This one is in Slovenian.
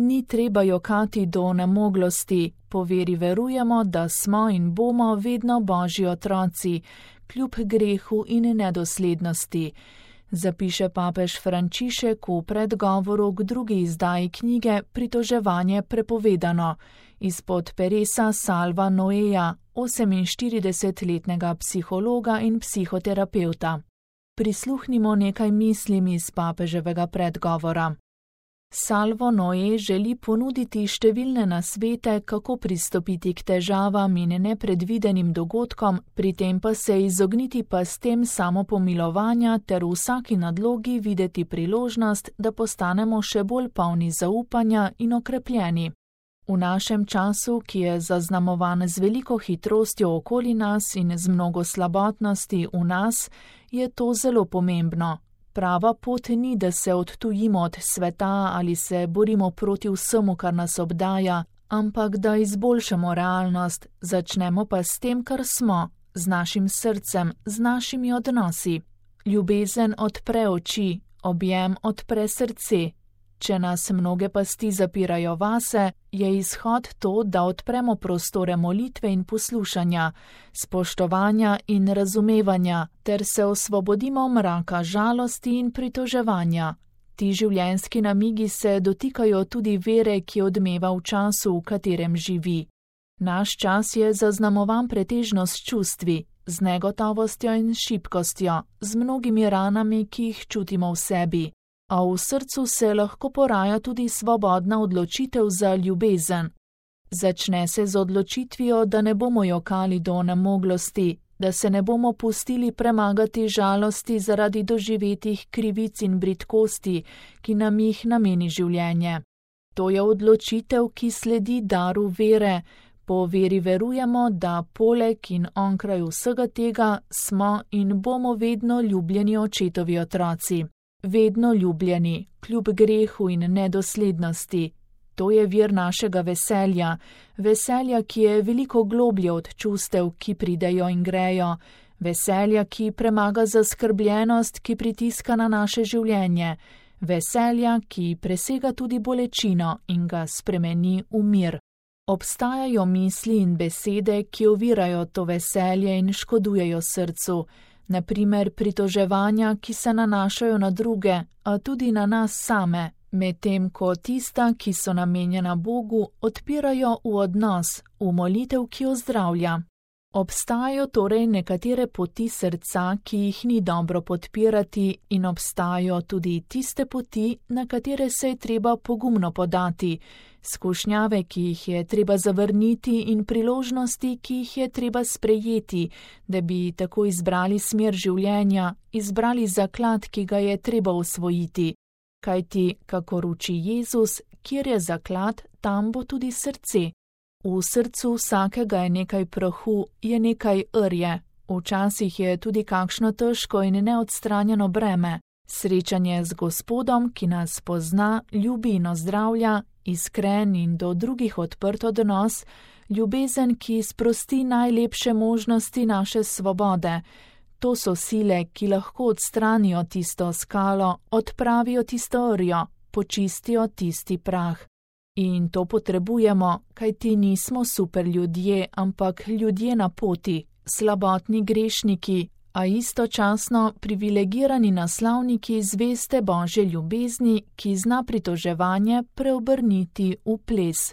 ni treba jokati do onemoglosti, po veri verujemo, da smo in bomo vedno Božji otroci, kljub grehu in nedoslednosti, zapiše papež Frančišek v predgovoru k drugi izdaji knjige Pritoževanje prepovedano, izpod peresa Salva Noeja, 48-letnega psihologa in psihoterapevta. Prisluhnimo nekaj mislim iz papeževega predgovora. Salvo Noe želi ponuditi številne nasvete, kako pristopiti k težavam in nepredvidenim dogodkom, pri tem pa se izogniti pastem samopomilovanja ter v vsaki nadlogi videti priložnost, da postanemo še bolj polni zaupanja in okrepljeni. V našem času, ki je zaznamovan z veliko hitrostjo okoli nas in z mnogo slabotnosti v nas, je to zelo pomembno. Prava pot ni, da se odtujimo od sveta ali se borimo proti vsemu, kar nas obdaja, ampak da izboljšamo realnost, začnemo pa s tem, kar smo, z našim srcem, z našimi odnosi. Ljubezen odpre oči, objem odpre srce. Če nas mnoge pasti zapirajo vase, je izhod to, da odpremo prostore molitve in poslušanja, spoštovanja in razumevanja, ter se osvobodimo mraka žalosti in pritoževanja. Ti življenjski namigi se dotikajo tudi vere, ki odmeva v času, v katerem živi. Naš čas je zaznamovan pretežno s čustvi, z negotovostjo in šibkostjo, z mnogimi ranami, ki jih čutimo v sebi. A v srcu se lahko poraja tudi svobodna odločitev za ljubezen. Začne se z odločitvijo, da ne bomo jokali do onemoglosti, da se ne bomo pustili premagati žalosti zaradi doživetih krivic in bridkosti, ki nam jih nameni življenje. To je odločitev, ki sledi daru vere. Po veri verujemo, da poleg in onkraj vsega tega smo in bomo vedno ljubljeni očetovi otroci. Vedno ljubljeni, kljub grehu in nedoslednosti. To je vir našega veselja, veselja, ki je veliko globlje od čustev, ki pridejo in grejo, veselja, ki premaga zaskrbljenost, ki pritiska na naše življenje, veselja, ki presega tudi bolečino in ga spremeni v mir. Obstajajo misli in besede, ki ovirajo to veselje in škodujejo srcu, na primer pritoževanja, ki se nanašajo na druge, a tudi na nas same, medtem ko tista, ki so namenjena Bogu, odpirajo v odnos, v molitev, ki ozdravlja. Obstajajo torej nekatere poti srca, ki jih ni dobro podpirati, in obstajajo tudi tiste poti, na katere se je treba pogumno podati, skušnjave, ki jih je treba zavrniti in priložnosti, ki jih je treba sprejeti, da bi tako izbrali smer življenja, izbrali zaklad, ki ga je treba osvojiti. Kajti, kakor uči Jezus, kjer je zaklad, tam bo tudi srce. V srcu vsakega je nekaj prahu, je nekaj rje, včasih je tudi kakšno težko in neodstranjeno breme. Srečanje z Gospodom, ki nas pozna, ljubi in ozdravlja, iskren in do drugih odprt odnos, ljubezen, ki sprosti najlepše možnosti naše svobode. To so sile, ki lahko odstranijo tisto skalo, odpravijo tisto rjo, počistijo tisti prah. In to potrebujemo, kajti nismo super ljudje, ampak ljudje na poti, slabotni grešniki, a istočasno privilegirani naslavniki zveste Božje ljubezni, ki zna pritoževanje preobrniti v ples.